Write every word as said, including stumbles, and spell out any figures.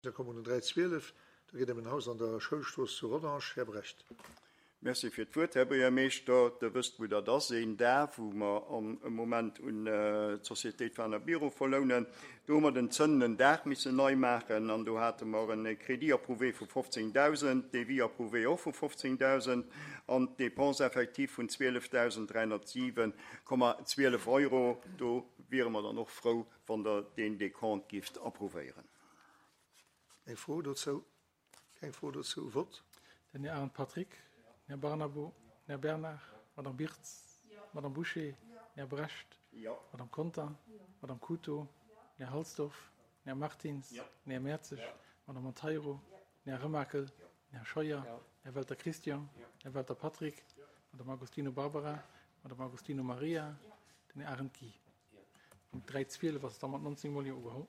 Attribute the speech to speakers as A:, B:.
A: Da komme mer un den dräi zwielef. Do geet ëm en Haus an der Schoulstrooss zu Rodange. Här Brecht.
B: Merci fir d'Wuert, Här Buergermeeschter. Der wësst, wou dat ass, een Dag, wou mer am Moment un d'Sociétéit Fahner Biro verlounen. Do hu mer den zënnenden Daach missen nei maachen an do hate mer e Crédit approuvé vu fofzéngdausend, Devis approuvé och vu fofzéngdausend an d'Dépenses effectives vun zwielefdausend dräihonnertsiwen Komma zwielef Euro. Do wiere mer dann och frou, wann Der deen Décompte gifft approuvéieren.
A: Eng Fro dozou? Keng Fro dozou. Vott.
C: Den Här Arendt Patrick, den Här Barnabo, den Här Bernard, d'Madame Birtz, d'Madame Bouché, den Här Brecht, d'Madame Conter, d'Madame Couto, den Här Halsdorf, den Här Martins, den Här Mertzig, d'Madame Monteiro, den Här Remakel, den Här Scheuer, den Här Welter Christian, den Här Welter Patrick, d'Madame Agostino Barbara, d'Madame Agostino Maria, den Här Arendt Guy. Punkt dräi zwielef ass da mat nonzéng Mol Jo ugeholl.